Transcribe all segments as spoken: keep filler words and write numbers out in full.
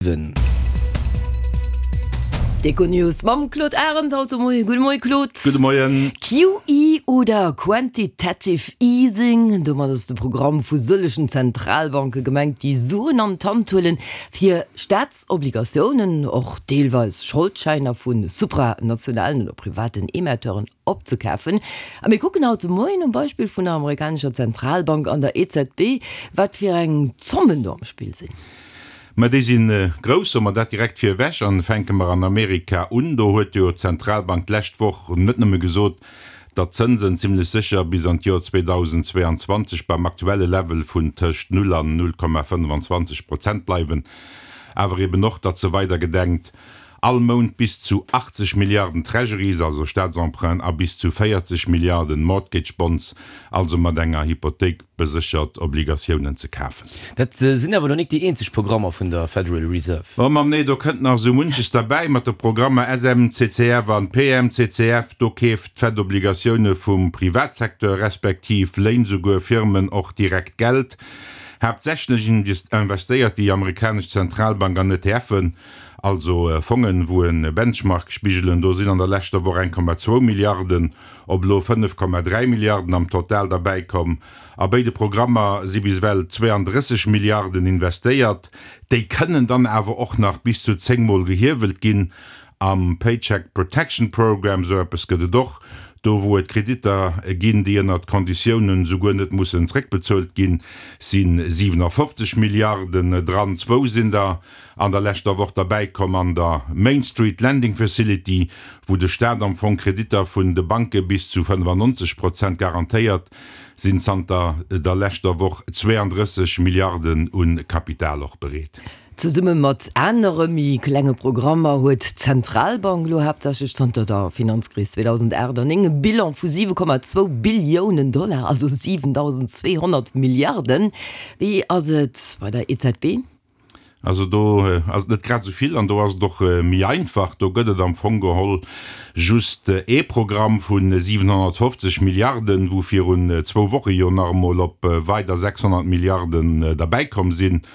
Siwen. D'Econews mam Claude Arend haut de Moien. Gudde Moie Claude. Gudde Moien. QE oder Quantitative Easing, domat ass de Programm vu sëllegen Zentralbanke gemengt, déi Suen an d'Hand huelen, fir Staatsobligatiounen, och deelweis Scholdschäiner vu supranationalen oder privaten Emetteuren opzekafen. A mir kucken haut de Moien um Beispill vun der amerikanescher Zentralbank an der E Z B, wat fir eng Zommen do am Spill sinn. Mä déi si grouss, soe mer dat direkt virewech. An fänke mer an Amerika un. Do huet jo d'Zentralbank d'lescht Woch net nëmme gesot, datt d'Zënsen zimlech sécher bis an d'Joer zweedausendzweeanzwanzeg beim aktuelle Level vun tëscht null an null Komma fënnfanzwanzeg Prozent bleiwen, awer eben och, datt se weider gedenkt, all Mount bis zu achtzeg Milliarden Treasuries, also Staatsemprunten, a bis zu véierzeg Milliarden Mortgage Bonds, also mat enger Hypothéik beséchert Obligatiounen, ze kafen. Dat sinn awer nach nik déi eenzeg Programmer vun der Federal Reserve. Oh Mann, nee, do kënnt nach esou munches derbäi mat de Programmer S M C C F an P M C C F. Do keeft d'Fed Obligatioune vum Privatsecteur, respektiv léint souguer Firmen och direkt Geld. Haaptsächlech investéiert déi amerikanesch Zentralbank an E T F'en, also Fongen, wou e Benchmark spigelen. Do sinn an der leschter Woch eng Komma zwou Milliarden op elo fënnef Komma dräi Milliarden am Total derbäi komm. A béide Programmer si bis ewell zweeandrësseg Milliarden investéiert. Déi kënnen dann awer och nach bis zu zéng Mol gehiewelt ginn. Am Paycheck Protection Program, esou eppes gëtt et och, do wou et Kreditter ginn, déi ënnert Konditiounen souguer net mussen zréckbezuelt ginn, si siwenafofzeg Milliarden dran. Zwou sinn der an der leschter Woch derbäikomm an der Main Street Lending Facility, wou de Staat am Fong Kreditter vun de Banke bis zu fënnefannonzeg Prozent garantéiert, sinn zanter der leschter Woch zweeandrësseg Milliarden u Kapital och bereet. Zesumme mat anere méi klenge Programmer huet d'Zentralbank elo haaptsächlech zanter der Finanzkris zweedausendacht an néng e Bilan vu siwe Komma zwou Billiounen Dollar, also siwendausendzweehonnert Milliarden. Wéi ass et bei der E Z B? Also do ass et net grad esou vill an do ass et och méi einfach. Do gëtt et am Fong geholl just ee Programm vu siwenhonnertfofzeg Milliarden, wou virun zwou Woche jo nach emol op weider sechshonnert Milliarden derbäikomm sinn.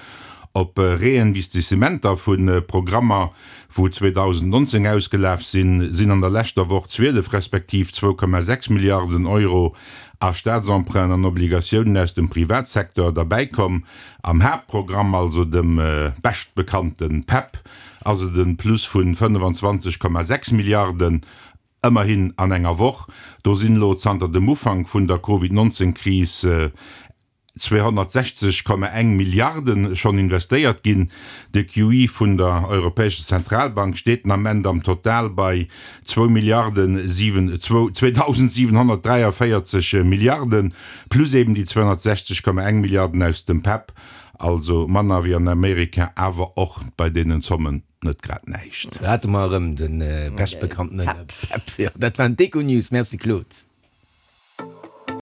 Op Reinvestissementer vu Programmer, wou zweedausendnonzéng ausgelaf sinn, sinn an der leschter Woch zwielef respektiv zwou Komma sechs Milliarden Euro a Staatsemprunten an Obligatiounen aus dem Privatsecteur derbäikomm. Am Haaptprogramm, also dem beschtbekannte PEP, ass et e Plus vu fënnefanzwanzeg Komma sechs Milliarden, ëmmerhin an enger Woch. Do sinn elo zanter dem Ufank vun der Covid nonzéng Kris zweehonnertsechzeg Komma eng Milliarde schonn investéiert ginn. De Q E vun der Europäescher Zentralbank steet den Ament am Total bei zwou Milliarden siwen, zweedausentsiwenhonnertdräiavéierzeg Milliarden, plus eben déi zweehonnertsechzeg Komma eng Milliarden aus dem PEP, also manner wéi an Amerika, awer och bei deenen Zommen net grad näischt. Do hate mer erëm de beschtbekanntene PEP. Jo, dat waren d'Econews. Merci Claude.